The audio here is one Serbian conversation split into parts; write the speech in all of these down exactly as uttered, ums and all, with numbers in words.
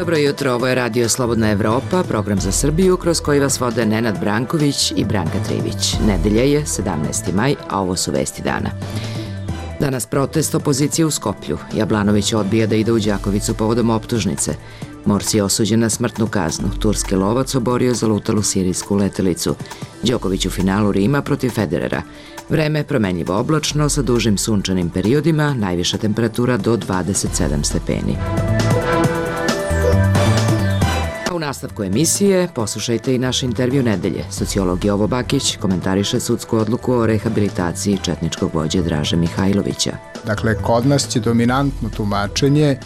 Dobro jutro, ovo je Radio Slobodna Evropa, program za Srbiju kroz koji vas vode Nenad Branković i Branka Trivić. Nedelja je sedamnaesti maj, a ovo su vesti dana. Danas protest opozicije u Skoplju. Jablanović odbija da ide u Đakovicu povodom optužnice. Morsi je osuđen na smrtnu kaznu. Turski lovac oborio zalutalu sirijsku letelicu. Đoković u finalu Rima protiv Federera. Vreme promenljivo oblačno sa dužim sunčanim periodima, najviša temperatura do dvadeset sedam stepeni. U nastavku emisije poslušajte i naš intervju nedelje. Sociolog Jovo Bakić komentariše sudsku odluku o rehabilitaciji četničkog vođe Draže Mihajlovića. Dakle, kod nas će dominantno tumačenje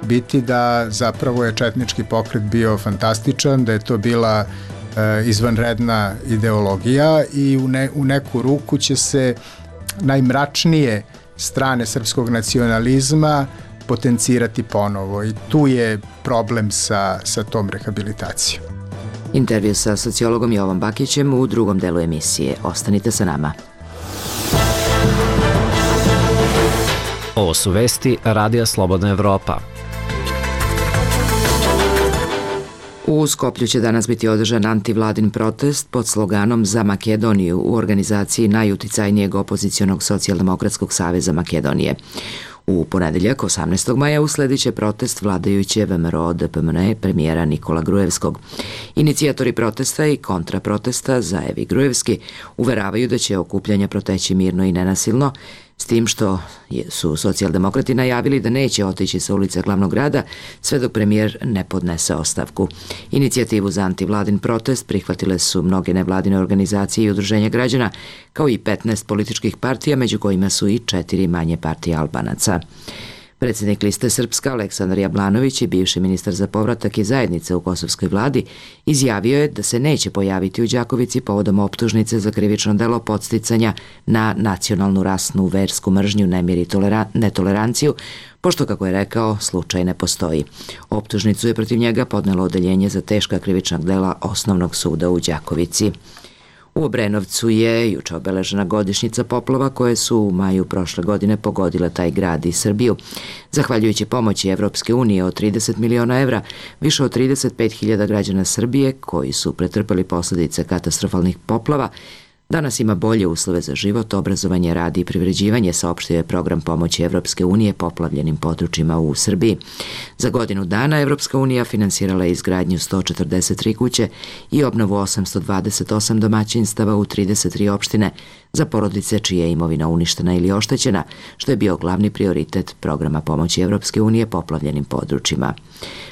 biti da zapravo je četnički pokret bio fantastičan, da je to bila e, izvanredna ideologija i u, ne, u neku ruku će se najmračnije strane srpskog nacionalizma potencirati ponovo i tu je problem sa, sa tom rehabilitacijom. Intervju sa sociologom Jovom Bakićem u drugom delu emisije. Ostanite sa nama. Ovo su vesti Radija Slobodna Evropa. U Skoplju će danas biti održan antivladin protest pod sloganom Za Makedoniju u organizaciji najuticajnijeg opozicionog socijaldemokratskog saveza Makedonije. U ponedeljak, osamnaestog maja, usledit će protest vladajuće V M R O D P M N E premijera Nikola Grujevskog. Inicijatori protesta i kontraprotesta Zaev i Grujevski uveravaju da će okupljanja proteći mirno i nenasilno, s tim što su socijaldemokrati najavili da neće otići sa ulice glavnog grada sve dok premijer ne podnese ostavku. Inicijativu za antivladin protest prihvatile su mnoge nevladine organizacije i udruženja građana, kao i petnaest političkih partija, među kojima su i četiri manje partije Albanaca. Predsjednik Liste Srpska Aleksandar Jablanović i bivši ministar za povratak i zajednice u kosovskoj vladi izjavio je da se neće pojaviti u Đakovici povodom optužnice za krivično delo podsticanja na nacionalnu, rasnu, versku mržnju, nemir i tolera- netoleranciju, pošto, kako je rekao, slučaj ne postoji. Optužnicu je protiv njega podnelo odeljenje za teška krivična dela Osnovnog suda u Đakovici. U Obrenovcu je juče obeležena godišnjica poplava koje su u maju prošle godine pogodile taj grad i Srbiju. Zahvaljujući pomoći Evropske unije od trideset miliona evra, više od trideset pet hiljada građana Srbije koji su pretrpeli posljedice katastrofalnih poplava danas ima bolje uslove za život, obrazovanje, rad i privređivanje, saopštio je program pomoći Evropske unije poplavljenim područjima u Srbiji. Za godinu dana Evropska unija finansirala je izgradnju sto četrdeset tri kuće i obnovu osamsto dvadeset osam domaćinstava u trideset tri opštine za porodice čija je imovina uništena ili oštećena, što je bio glavni prioritet programa pomoći Evropske unije poplavljenim područjima.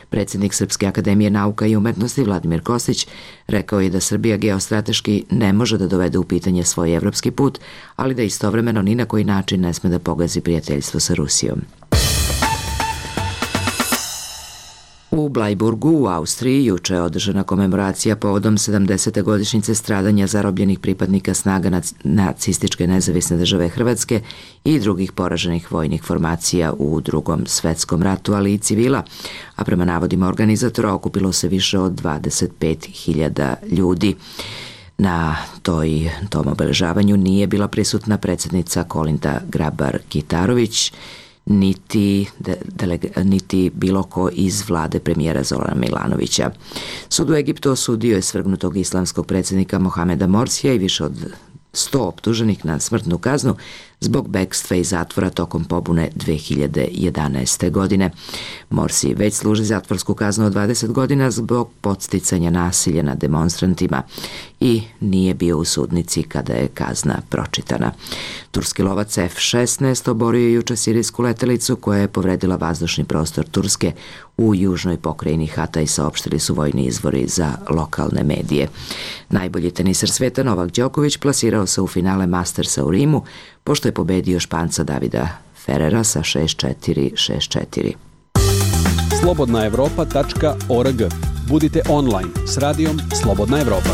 Predsjednik Srpske akademije nauka i umetnosti Vladimir Kostić rekao je da Srbija geostrateški ne može da dovede u pitanje svoj evropski put, ali da istovremeno ni na koji način ne sme da pogazi prijateljstvo sa Rusijom. U Blajburgu u Austriji juče je održana komemoracija povodom sedamdesete godišnjice stradanja zarobljenih pripadnika snaga nacističke nezavisne države Hrvatske i drugih poraženih vojnih formacija u Drugom svetskom ratu, ali i civila, a prema navodima organizatora okupilo se više od dvadeset pet hiljada ljudi. Na toj, tom obeležavanju nije bila prisutna predsjednica Kolinda Grabar-Kitarović, Niti, de, delega, niti bilo ko iz vlade premijera Zorana Milanovića. Sud u Egiptu osudio je svrgnutog islamskog predsjednika Mohameda Morsija i više od sto optuženih na smrtnu kaznu zbog bekstva iz zatvora tokom pobune dve hiljade jedanaeste. godine. Morsi već služi zatvorsku kaznu od dvadeset godina zbog podsticanja nasilja nad demonstrantima i nije bio u sudnici kada je kazna pročitana. Turski lovac F šesnaest oborio je juče sirijsku letelicu koja je povredila vazdušni prostor Turske u južnoj pokrajini Hatay, saopštili su vojni izvori za lokalne medije. Najbolji teniser sveta Novak Đoković plasirao se u finale Mastersa u Rimu, pošto je pobedio Španca Davida Ferrera sa šest četiri šest četiri. slobodna evropa tačka org. Budite online s radijom Slobodna Evropa.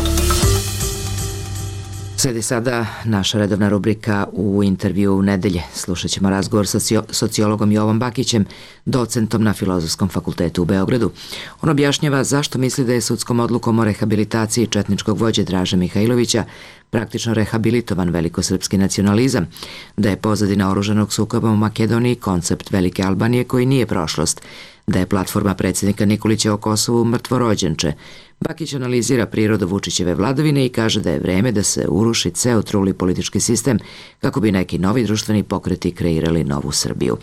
Sledi sada naša redovna rubrika U intervju nedelje. Slušat ćemo razgovor sa sociologom Jovom Bakićem, docentom na Filozofskom fakultetu u Beogradu. On objašnjava zašto misli da je sudskom odlukom o rehabilitaciji četničkog vođe Draže Mihajlovića praktično rehabilitovan velikosrpski nacionalizam, da je pozadina oružanog sukoba u Makedoniji koncept Velike Albanije koji nije prošlost, da je platforma predsjednika Nikolića o Kosovu mrtvorođenče. Bakić analizira prirodu Vučićeve vladavine i kaže da je vreme da se uruši ceo truli politički sistem kako bi neki novi društveni pokreti kreirali novu Srbiju.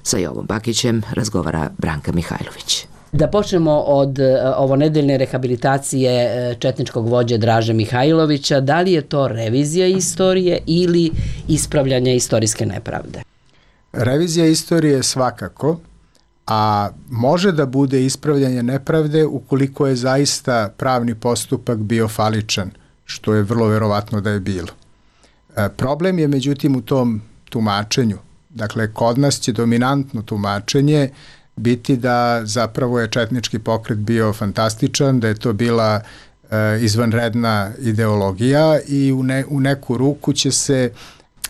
Sa Jovom Bakićem razgovara Branka Mihajlović. Da počnemo od ovo nedeljne rehabilitacije četničkog vođe Draže Mihajlovića. Da li je to revizija istorije ili ispravljanje istorijske nepravde? Revizija istorije svakako, a može da bude ispravljanje nepravde ukoliko je zaista pravni postupak bio faličan, što je vrlo verovatno da je bilo. E, problem je međutim u tom tumačenju. Dakle, kod nas će dominantno tumačenje biti da zapravo je četnički pokret bio fantastičan, da je to bila e, izvanredna ideologija i u, ne, u neku ruku će se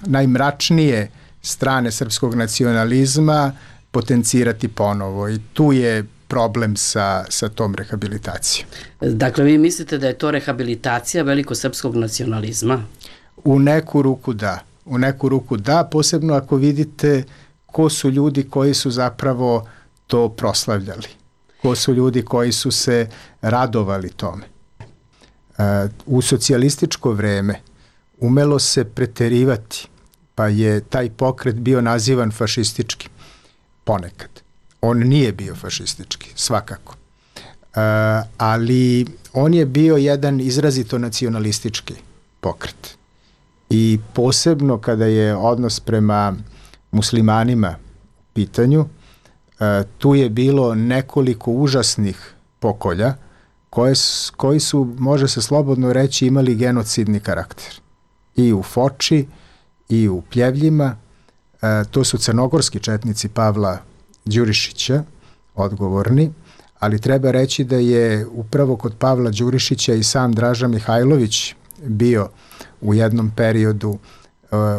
najmračnije strane srpskog nacionalizma potencirati ponovo i tu je problem sa, sa tom rehabilitacijom. Dakle, vi mislite da je to rehabilitacija velikosrpskog nacionalizma? U neku ruku da. U neku ruku da, posebno ako vidite ko su ljudi koji su zapravo to proslavljali. Ko su ljudi koji su se radovali tome. E, u socijalističko vreme umelo se preterivati, pa je taj pokret bio nazivan fašističkim. Ponekad. On nije bio fašistički, svakako. E, ali on je bio jedan izrazito nacionalistički pokret. I posebno kada je odnos prema muslimanima u pitanju, e, tu je bilo nekoliko užasnih pokolja koje, koji su, može se slobodno reći, imali genocidni karakter. I u Foči, i u Pljevljima. E, to su crnogorski četnici Pavla Đurišića, odgovorni, ali treba reći da je upravo kod Pavla Đurišića i sam Draža Mihajlović bio u jednom periodu uh,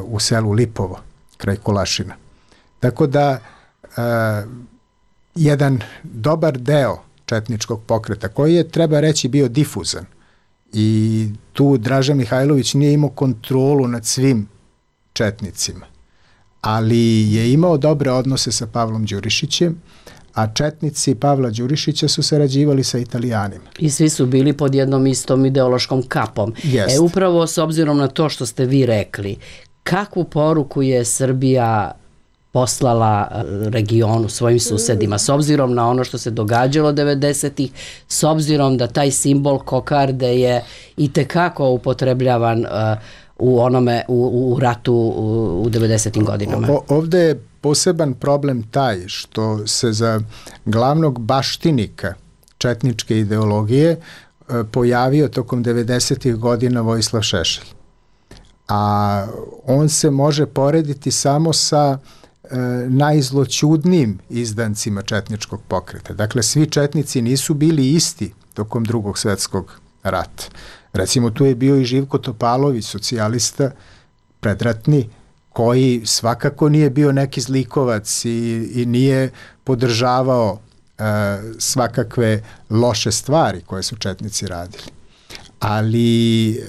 u selu Lipovo, kraj Kolašina. Tako da uh, jedan dobar deo četničkog pokreta, koji je, treba reći, bio difuzan i tu Draža Mihajlović nije imao kontrolu nad svim četnicima, ali je imao dobre odnose sa Pavlom Đurišićem, a četnici Pavla Đurišića su sarađivali sa Italijanima. I svi su bili pod jednom istom ideološkom kapom. Jest. E, upravo s obzirom na to što ste vi rekli, kakvu poruku je Srbija poslala regionu, svojim susedima, s obzirom na ono što se događalo devedesetih, s obzirom da taj simbol kokarde je itekako upotrebljavan uh, u onome, u, u ratu u, u devedesetim godinama. O, ovde je poseban problem taj što se za glavnog baštinika četničke ideologije e, pojavio tokom devedesetih godina Vojislav Šešelj. A on se može porediti samo sa e, najzloćudnijim izdancima četničkog pokreta. Dakle, svi četnici nisu bili isti tokom Drugog svjetskog rata. Recimo, tu je bio i Živko Topalović, socijalista, predratni, koji svakako nije bio neki zlikovac i, i nije podržavao e, svakakve loše stvari koje su četnici radili. Ali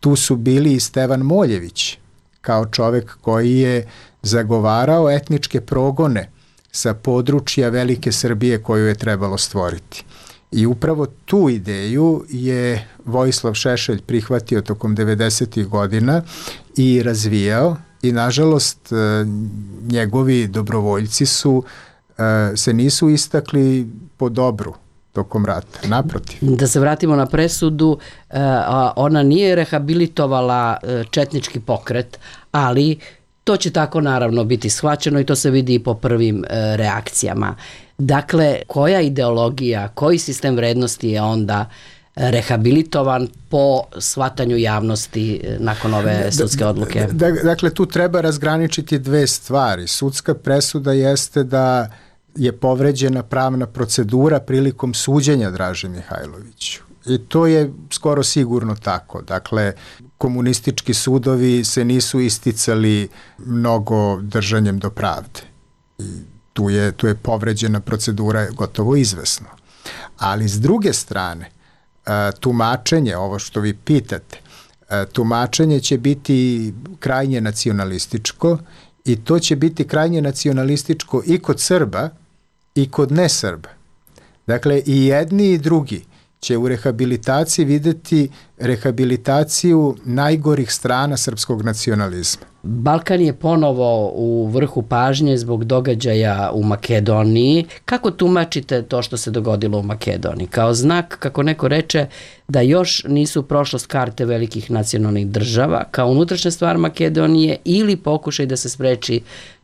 tu su bili i Stevan Moljević, kao čovek koji je zagovarao etničke progone sa područja Velike Srbije koju je trebalo stvoriti. I upravo tu ideju je Vojislav Šešelj prihvatio tokom devedesetih godina i razvijao i nažalost njegovi dobrovoljci su se nisu istakli po dobru tokom rata, naprotiv. Da se vratimo na presudu, ona nije rehabilitovala četnički pokret, ali to će tako naravno biti shvaćeno i to se vidi i po prvim reakcijama. Dakle, koja ideologija, koji sistem vrednosti je onda rehabilitovan po shvatanju javnosti nakon ove sudske odluke? Dakle, tu treba razgraničiti dve stvari. Sudska presuda jeste da je povređena pravna procedura prilikom suđenja Draži Mihajloviću I to je skoro sigurno tako. Dakle, komunistički sudovi se nisu isticali mnogo držanjem do pravde. I tu je, tu je povređena procedura gotovo izvesno. Ali s druge strane, tumačenje, ovo što vi pitate, tumačenje će biti krajnje nacionalističko i to će biti krajnje nacionalističko i kod Srba i kod nesrba. Dakle, i jedni i drugi će u rehabilitaciji videti rehabilitaciju najgorih strana srpskog nacionalizma. Balkan je ponovo u vrhu pažnje zbog događaja u Makedoniji. Kako tumačite to što se dogodilo u Makedoniji? Kao znak, kako neko reče, da još nisu prošlost karte velikih nacionalnih država, kao unutrašnja stvar Makedonije ili pokušaj da se spreči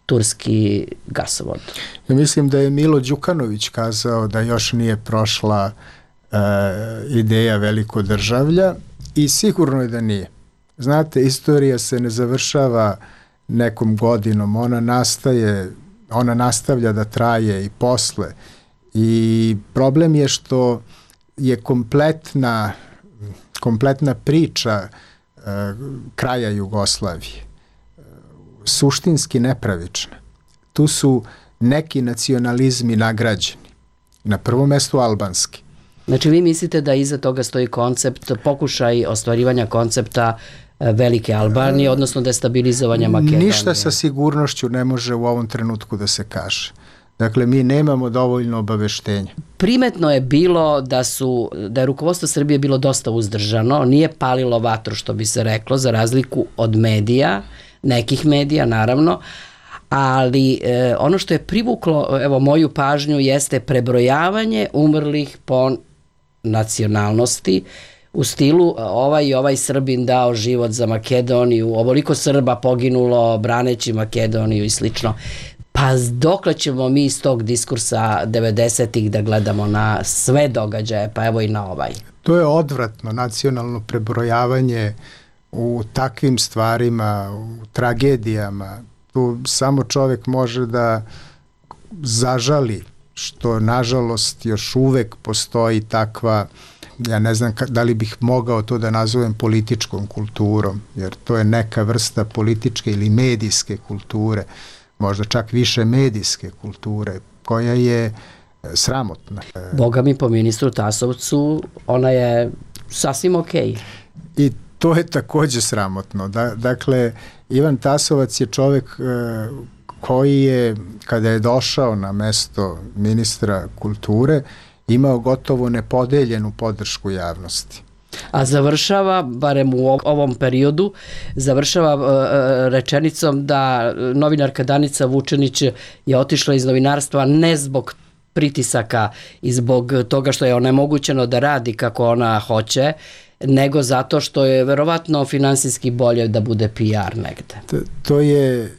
turski gasovod? Ja mislim da je Milo Đukanović kazao da još nije prošla e, ideja velikodržavlja i sigurno je da nije. Znate, istorija se ne završava nekom godinom, ona nastaje, ona nastavlja da traje i posle. I problem je što je kompletna, kompletna priča e, kraja Jugoslavije suštinski nepravična. Tu su neki nacionalizmi nagrađeni. Na prvom mestu albanski. Znači vi mislite da iza toga stoji koncept, pokušaj ostvarivanja koncepta velike Albanije, odnosno destabilizovanja Makedonije? Ništa sa sigurnošću ne može u ovom trenutku da se kaže. Dakle, mi nemamo dovoljno obaveštenja. Primetno je bilo da su, da je rukovodstvo Srbije bilo dosta uzdržano, nije palilo vatru, što bi se reklo, za razliku od medija, nekih medija, naravno, ali e, ono što je privuklo, evo, moju pažnju jeste prebrojavanje umrlih po nacionalnosti, u stilu ovaj i ovaj Srbin dao život za Makedoniju, ovoliko Srba poginulo braneći Makedoniju i slično. Pa dokle ćemo mi iz tog diskursa devedesetih da gledamo na sve događaje, pa evo i na ovaj? To je odvratno, nacionalno prebrojavanje u takvim stvarima, u tragedijama. Tu samo čovek može da zažali što nažalost još uvek postoji takva, ja ne znam da li bih mogao to da nazovem političkom kulturom, jer to je neka vrsta političke ili medijske kulture, možda čak više medijske kulture, koja je sramotna. Boga mi, po ministru Tasovcu, ona je sasvim okej. I to je takođe sramotno. Da, dakle, Ivan Tasovac je čovek e, koji je, kada je došao na mesto ministra kulture, imao gotovo nepodeljenu podršku javnosti. A završava, barem u ovom periodu, završava uh, rečenicom da novinarka Danica Vučenić je otišla iz novinarstva ne zbog pritisaka i zbog toga što je onemogućeno da radi kako ona hoće, nego zato što je verovatno finansijski bolje da bude P R negde. To, to je,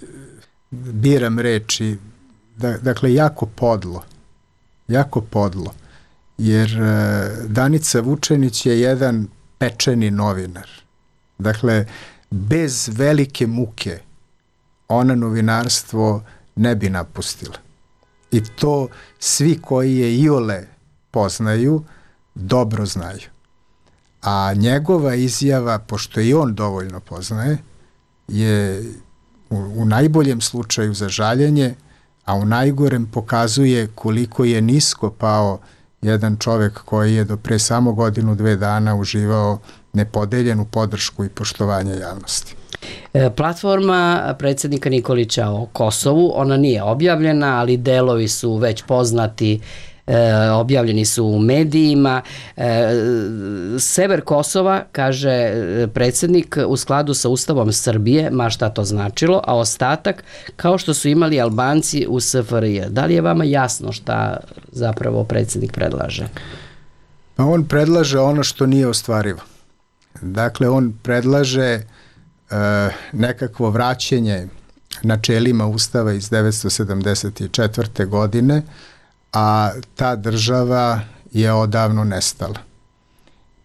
biram reči, da, dakle, jako podlo. Jako podlo. Jer Danica Vučenić je jedan pečeni novinar. Dakle, bez velike muke ona novinarstvo ne bi napustila. I to svi koji je iole poznaju, dobro znaju. A njegova izjava, pošto i on dovoljno poznaje, je u, u najboljem slučaju za žaljenje, a u najgorem pokazuje koliko je nisko pao jedan čovek koji je do pre samo godinu, dve dana uživao nepodeljenu podršku i poštovanje javnosti. Platforma predsjednika Nikolića o Kosovu, ona nije objavljena, ali delovi su već poznati, e, objavljeni su u medijima. E, sever Kosova, kaže predsjednik, u skladu sa Ustavom Srbije, ma šta to značilo, a ostatak kao što su imali Albanci u S F R J. Da li je vama jasno šta zapravo predsjednik predlaže? Pa on predlaže ono što nije ostvarivo. Dakle, on predlaže e, nekakvo vraćanje načelima Ustava iz devetsto sedamdeset četvrte. godine, a ta država je odavno nestala.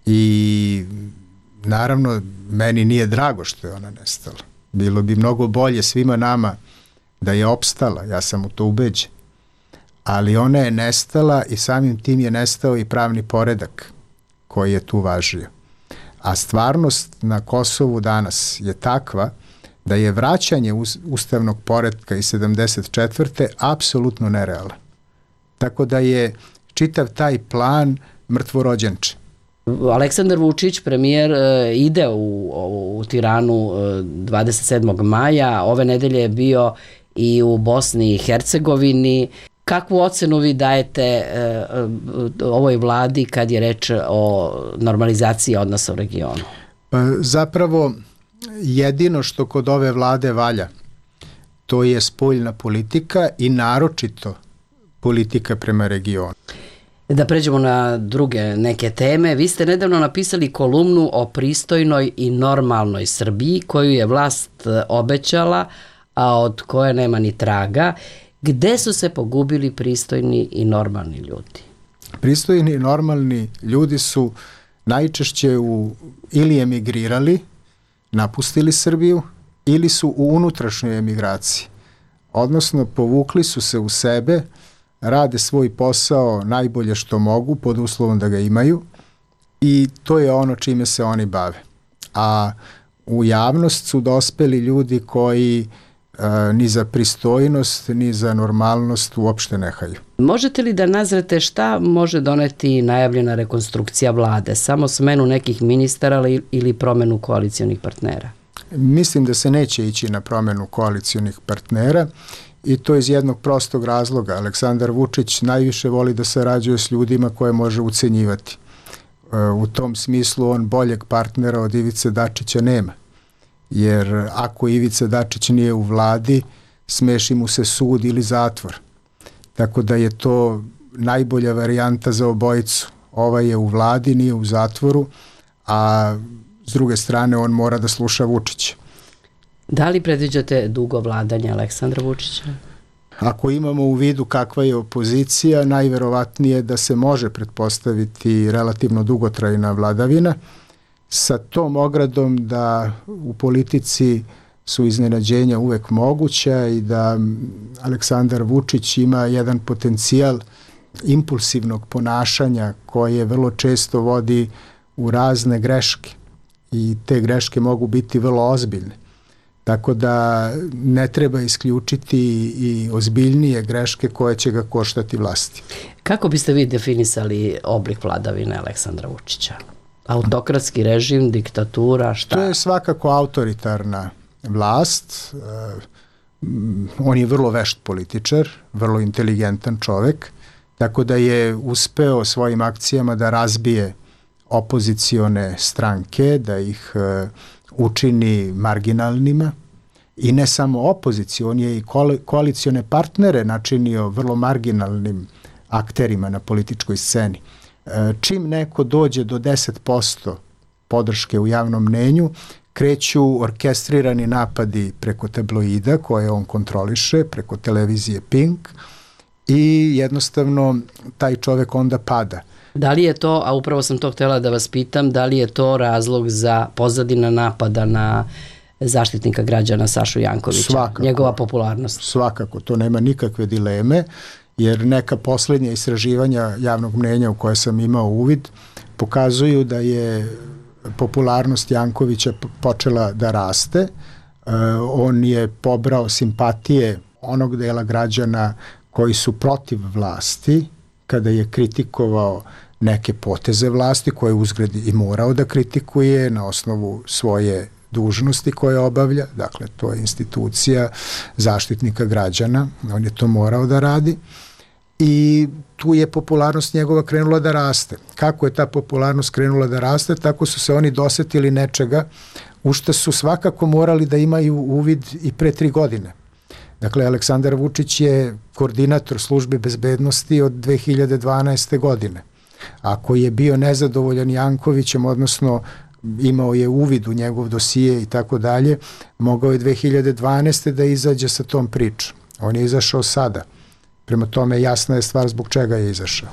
I naravno, meni nije drago što je ona nestala. Bilo bi mnogo bolje svima nama da je opstala, ja sam u to ubeđen. Ali ona je nestala i samim tim je nestao i pravni poredak koji je tu važio. A stvarnost na Kosovu danas je takva da je vraćanje ustavnog poretka iz sedamdeset četvrte apsolutno nerealan. Tako da je čitav taj plan mrtvorođenče. Aleksandar Vučić, premijer, ide u, u, u Tiranu dvadeset sedmog maja. Ove nedelje je bio i u Bosni i Hercegovini. Kakvu ocenu vi dajete e, ovoj vladi kad je reč o normalizaciji odnosa u regionu? Pa, zapravo, jedino što kod ove vlade valja, to je spoljna politika i naročito politika prema regionu. Da pređemo na druge neke teme. Vi ste nedavno napisali kolumnu o pristojnoj i normalnoj Srbiji koju je vlast obećala, a od koje nema ni traga. Gde su se pogubili pristojni i normalni ljudi? Pristojni i normalni ljudi su najčešće u, ili emigrirali, napustili Srbiju, ili su u unutrašnjoj emigraciji. Odnosno, povukli su se u sebe, rade svoj posao najbolje što mogu, pod uslovom da ga imaju, i to je ono čime se oni bave. A u javnost su dospeli ljudi koji a, ni za pristojnost, ni za normalnost uopšte ne haju. Možete li da nazrete šta može doneti najavljena rekonstrukcija vlade? Samo smenu nekih ministara ili promenu koalicionih partnera? Mislim da se neće ići na promenu koalicionih partnera, i to iz jednog prostog razloga. Aleksandar Vučić najviše voli da sarađuje s ljudima koje može ucenjivati. U tom smislu on boljeg partnera od Ivice Dačića nema. Jer ako Ivica Dačić nije u vladi, smeši mu se sud ili zatvor. Tako da je to najbolja varijanta za obojicu. Ovaj je u vladi, nije u zatvoru, a s druge strane on mora da sluša Vučića. Da li predviđate dugo vladanje Aleksandra Vučića? Ako imamo u vidu kakva je opozicija, najverovatnije da se može pretpostaviti relativno dugotrajna vladavina, sa tom ogradom da u politici su iznenađenja uvek moguća i da Aleksandar Vučić ima jedan potencijal impulsivnog ponašanja koje vrlo često vodi u razne greške, i te greške mogu biti vrlo ozbiljne. Tako da ne treba isključiti i ozbiljnije greške koje će ga koštati vlasti. Kako biste vi definisali oblik vladavine Aleksandra Vučića? Autokratski režim, diktatura, šta? To je svakako autoritarna vlast. On je vrlo vešt političar, vrlo inteligentan čovek, tako da je uspeo svojim akcijama da razbije opozicione stranke, da ih učini marginalnima, i ne samo opoziciju, on je i koalicione partnere načinio vrlo marginalnim akterima na političkoj sceni. Čim neko dođe do deset posto podrške u javnom mnenju, kreću orkestrirani napadi preko tabloida koje on kontroliše, preko televizije Pink, i jednostavno taj čovek onda pada. Da li je to, a upravo sam to htjela da vas pitam, da li je to razlog za pozadina napada na zaštitnika građana Sašu Jankovića, svakako, njegova popularnost? Svakako, to nema nikakve dileme, jer neka posljednja istraživanja javnog mnjenja u koje sam imao uvid pokazuju da je popularnost Jankovića počela da raste. E, on je pobrao simpatije onog dela građana koji su protiv vlasti, kada je kritikovao neke poteze vlasti koje uzgred i morao da kritikuje na osnovu svoje dužnosti koje obavlja, dakle to je institucija zaštitnika građana, on je to morao da radi, i tu je popularnost njegova krenula da raste. Kako je ta popularnost krenula da raste? Tako su se oni dosetili nečega u što su svakako morali da imaju uvid i pre tri godine. Dakle, Aleksandar Vučić je koordinator službe bezbednosti od dve hiljade dvanaeste. godine. Ako je bio nezadovoljan Jankovićem, odnosno imao je uvid u njegov dosije i tako dalje, mogao je dve hiljade dvanaeste. da izađe sa tom pričom. On je izašao sada. Prema tome jasna je stvar zbog čega je izašao.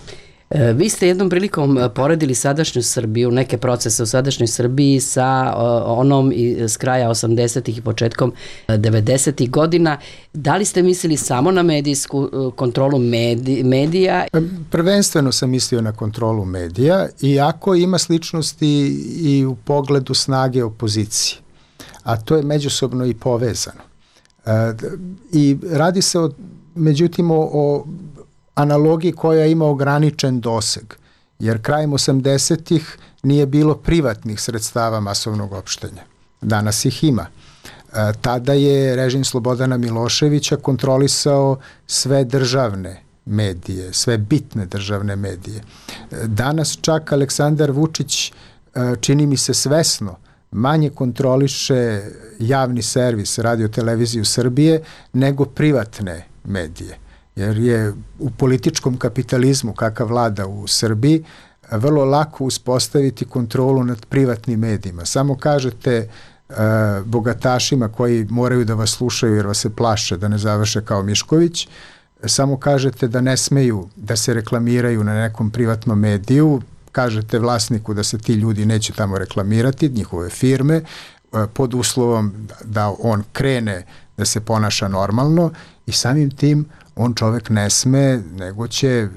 E, vi ste jednom prilikom poredili sadašnju Srbiju, neke procese u sadašnjoj Srbiji sa o, onom iz kraja osamdesetih i početkom devedesetih godina. Da li ste mislili samo na medijsku kontrolu medij, medija? Prvenstveno sam mislio na kontrolu medija, iako ima sličnosti i u pogledu snage opozicije, a to je međusobno i povezano. E, I radi se o, međutim o, o analogiji koja ima ograničen doseg, jer krajem osamdesetih nije bilo privatnih sredstava masovnog opštenja. Danas ih ima. E, tada je režim Slobodana Miloševića kontrolisao sve državne medije, sve bitne državne medije. E, danas čak Aleksandar Vučić, e, čini mi se svesno, manje kontroliše javni servis Radio-televiziju Srbije nego privatne medije. Jer je u političkom kapitalizmu kakav vlada u Srbiji vrlo lako uspostaviti kontrolu nad privatnim medijima. Samo kažete e, bogatašima koji moraju da vas slušaju jer vas se plaše da ne završe kao Mišković, samo kažete da ne smeju da se reklamiraju na nekom privatnom mediju, kažete vlasniku da se ti ljudi neće tamo reklamirati, njihove firme, e, pod uslovom da on krene da se ponaša normalno i samim tim on čovek ne sme, nego će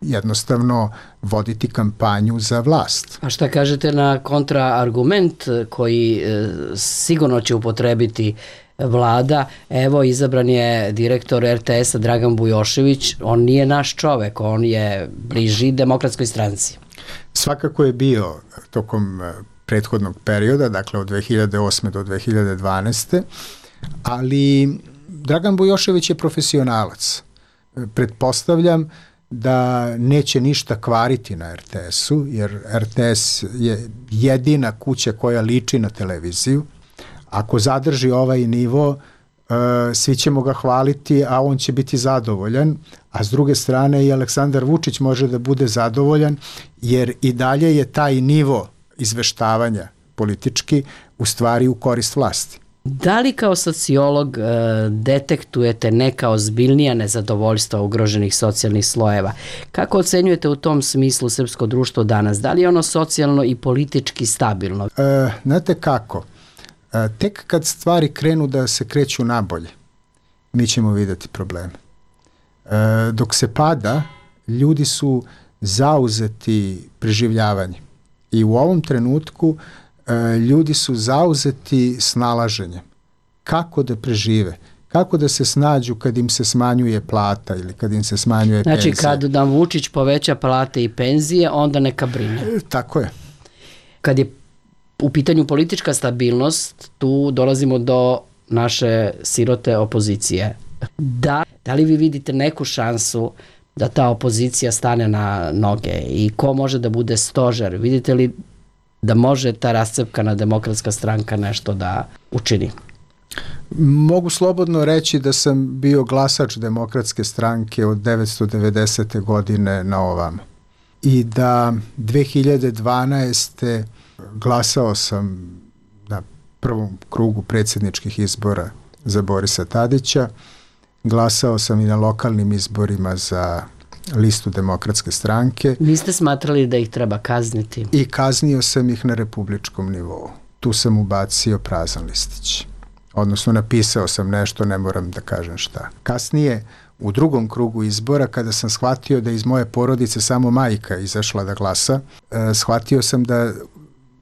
jednostavno voditi kampanju za vlast. A šta kažete na kontraargument koji e, sigurno će upotrebiti vlada? Evo, izabran je direktor er te esa Dragan Bujošević, on nije naš čovek, on je bliži Demokratskoj stranci. Svakako je bio tokom prethodnog perioda, dakle od dve hiljade osme do dve hiljade dvanaeste, ali Dragan Bujošević je profesionalac. Pretpostavljam da neće ništa kvariti na er te esu, jer er te es je jedina kuća koja liči na televiziju. Ako zadrži ovaj nivo, svi ćemo ga hvaliti, a on će biti zadovoljan, a s druge strane i Aleksandar Vučić može da bude zadovoljan, jer i dalje je taj nivo izveštavanja politički u stvari u korist vlasti. Da li kao sociolog e, detektujete neka ozbiljnija nezadovoljstva ugroženih socijalnih slojeva? Kako ocenjujete u tom smislu srpsko društvo danas? Da li je ono socijalno i politički stabilno? E, znate kako? E, tek kad stvari krenu da se kreću nabolje, mi ćemo vidjeti probleme. E, dok se pada, ljudi su zauzeti preživljavanjem. I u ovom trenutku ljudi su zauzeti snalaženjem. Kako da prežive? Kako da se snađu kad im se smanjuje plata ili kad im se smanjuje znači, penzija? Znači, kad nam Vučić poveća plate i penzije, onda neka brine. E, tako je. Kad je u pitanju politička stabilnost, tu dolazimo do naše sirote opozicije. Da, da li vi vidite neku šansu da ta opozicija stane na noge i ko može da bude stožer? Vidite li da može ta rascepkana Demokratska stranka nešto da učini? Mogu slobodno reći da sam bio glasač Demokratske stranke od devetsto devedesete godine na ovamo. I da dve hiljade dvanaeste glasao sam na prvom krugu predsjedničkih izbora za Borisa Tadića. Glasao sam i na lokalnim izborima za listu Demokratske stranke. Niste smatrali da ih treba kazniti? I kaznio sam ih na republičkom nivou. Tu sam ubacio prazan listić. Odnosno napisao sam nešto, ne moram da kažem šta. Kasnije, u drugom krugu izbora, kada sam shvatio da iz moje porodice samo majka izašla da glasa, eh, shvatio sam da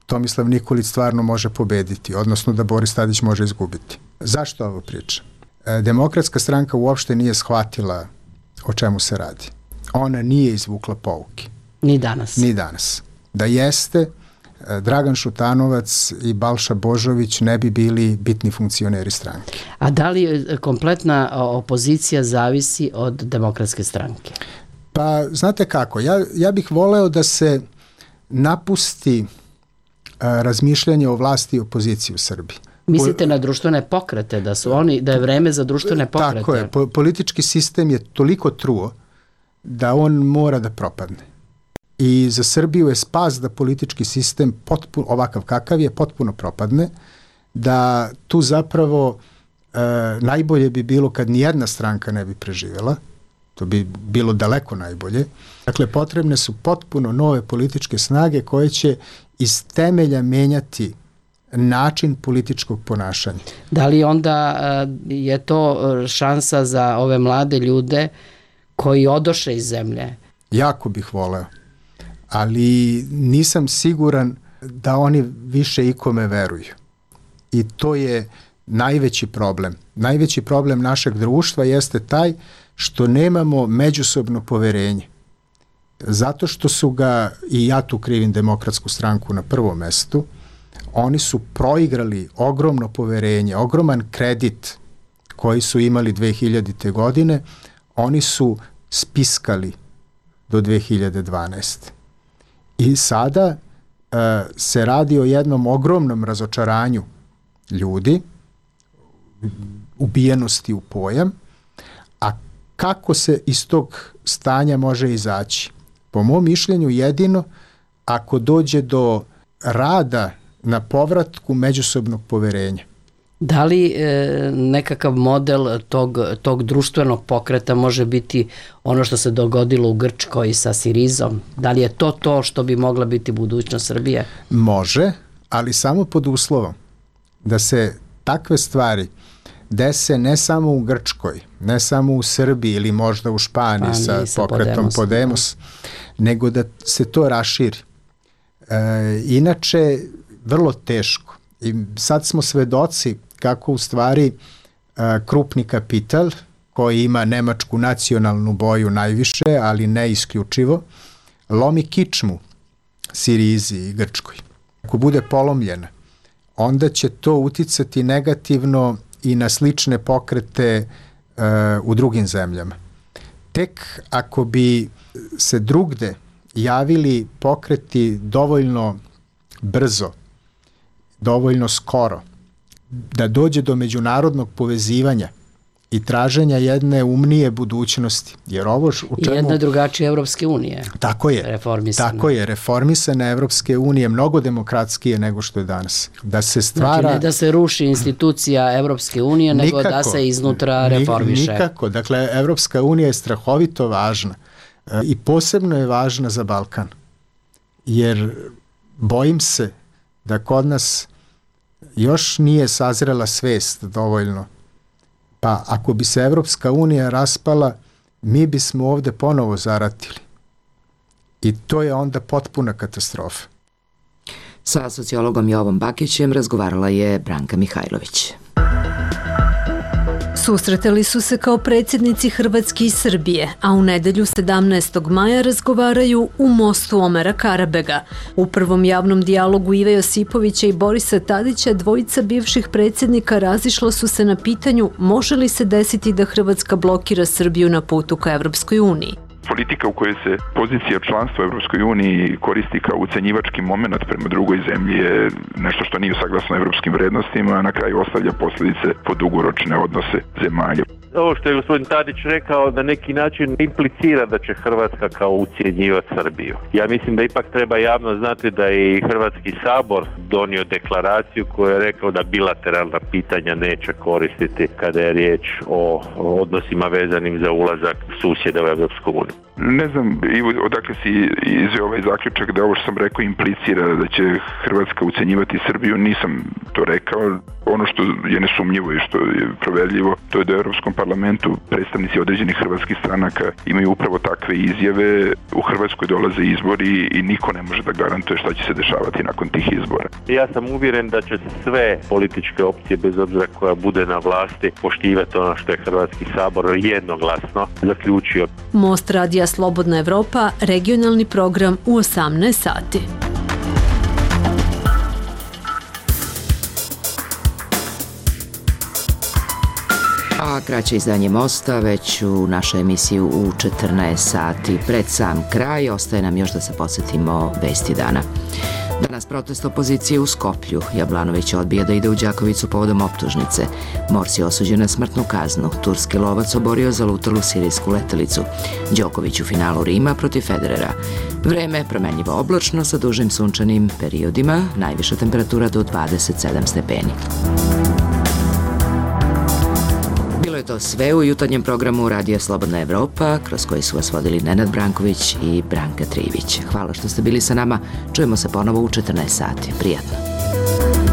Tomislav Nikolić stvarno može pobediti, odnosno da Boris Tadić može izgubiti. Zašto ovo pričam? Eh, Demokratska stranka uopšte nije shvatila o čemu se radi. Ona nije izvukla pouke. Ni danas. Ni danas. Da jeste, Dragan Šutanovac i Balša Božović ne bi bili bitni funkcioneri stranke. A da li kompletna opozicija zavisi od Demokratske stranke? Pa, znate kako, ja, ja bih voleo da se napusti a, razmišljanje o vlasti i opoziciji u Srbiji. Mislite na društvene pokrete, da su oni, da je vreme za društvene pokrete? Tako je, po, politički sistem je toliko truo da on mora da propadne. I za Srbiju je spas da politički sistem potpuno, ovakav kakav je, potpuno propadne, da tu zapravo e, najbolje bi bilo kad nijedna stranka ne bi preživjela, To bi bilo daleko najbolje. Dakle, potrebne su potpuno nove političke snage koje će iz temelja menjati način političkog ponašanja. Da li onda je to šansa za ove mlade ljude koji odoše iz zemlje? Jako bih voleo, ali nisam siguran da oni više ikome veruju. I to je najveći problem. Najveći problem našeg društva jeste taj što nemamo međusobno poverenje. Zato što su ga, i ja tu krivim Demokratsku stranku na prvom mestu, oni su proigrali ogromno poverenje, ogroman kredit koji su imali dve hiljadite. godine, oni su spiskali do dve hiljade dvanaeste. I sada e, se radi o jednom ogromnom razočaranju ljudi, ubijenosti u pojam, a kako se iz tog stanja može izaći? Po mom mišljenju jedino ako dođe do rada na povratku međusobnog poverenja. Da li e, nekakav model tog, tog društvenog pokreta može biti ono što se dogodilo u Grčkoj sa Sirizom? Da li je to to što bi mogla biti budućnost Srbije? Može, ali samo pod uslovom da se takve stvari dese ne samo u Grčkoj, ne samo u Srbiji ili možda u Španiji pa, sa, sa pokretom Podemos, Podemos nego da se to raširi. E, inače, vrlo teško. I sad smo svedoci kako u stvari e, krupni kapital koji ima nemačku nacionalnu boju najviše, ali ne isključivo, lomi kičmu Sirizi i Grčkoj. Ako bude polomljena, onda će to uticati negativno i na slične pokrete e, u drugim zemljama. Tek ako bi se drugde javili pokreti dovoljno brzo, dovoljno skoro, da dođe do međunarodnog povezivanja i traženja jedne umnije budućnosti. Jer ovo u čemu... Jedna drugačija Evropske unije. Tako je. Reformisana. Tako je. Reformisana Evropske unije mnogo demokratskije nego što je danas. Da se stvara... Znači ne da se ruši institucija Evropske unije, nego nikako, da se iznutra reformiše. Nikako. Dakle, Evropska unija je strahovito važna. I posebno je važna za Balkan. Jer bojim se da kod nas još nije sazrela svest dovoljno. Pa ako bi se Evropska unija raspala, mi bismo ovde ponovo zaratili. I to je onda potpuna katastrofa. Sa sociologom Jovom Bakićem razgovarala je Branka Mihajlović. Susretali su se kao predsjednici Hrvatske i Srbije, a u nedelju sedamnaestog maja razgovaraju u mostu Omera Karabega. U prvom javnom dijalogu Ive Josipovića i Borisa Tadića dvojica bivših predsjednika razišla su se na pitanju može li se desiti da Hrvatska blokira Srbiju na putu ka Evropskoj uniji. Politika u kojoj se pozicija članstva u Evropskoj uniji koristi kao ucenjivački moment prema drugoj zemlji je nešto što nije saglasno evropskim vrednostima, a na kraju ostavlja posljedice po dugoročne odnose zemalja. Ovo što je gospodin Tadić rekao na neki način implicira da će Hrvatska kao ucjenjivati Srbiju. Ja mislim da ipak treba javno znati da je i Hrvatski sabor donio deklaraciju koja je rekao da bilateralna pitanja neće koristiti kada je riječ o odnosima vezanim za ulazak susjeda u Evropsku uniju. Ne znam odakle si izveo ovaj zaključak da ovo što sam rekao implicira da će Hrvatska ucenjivati Srbiju, nisam to rekao. Ono što je nesumnjivo i što je proverljivo, to je da u Europskom parlamentu predstavnici određenih hrvatskih stranaka imaju upravo takve izjave. U Hrvatskoj dolaze izbori i niko ne može da garantuje šta će se dešavati nakon tih izbora. Ja sam uvjeren da će sve političke opcije, bez obzira koja bude na vlasti, poštivati ono što je Hrvatski sabor jednoglasno zaključio. Most radija Slobodna Evropa, regionalni program u osamnaest sati. A kraće izdanje Mosta već u našoj emisiji u četrnaest sati. Pred sam kraj ostaje nam još da se podsjetimo vesti dana. Danas protest opozicije u Skoplju. Jablanović odbija da ide u Đakovicu povodom optužnice. Morsi osuđen na smrtnu kaznu. Turski lovac oborio zalutalu sirijsku letelicu. Đoković u finalu Rima protiv Federera. Vreme promenljivo oblačno sa dužim sunčanim periodima. Najviša temperatura do dvadeset sedam stepeni. Bilo je to sve u jutarnjem programu Radija Slobodna Evropa, kroz koji su vas vodili Nenad Branković i Branka Trivić. Hvala što ste bili sa nama. Čujemo se ponovo u četrnaest sati. Prijatno.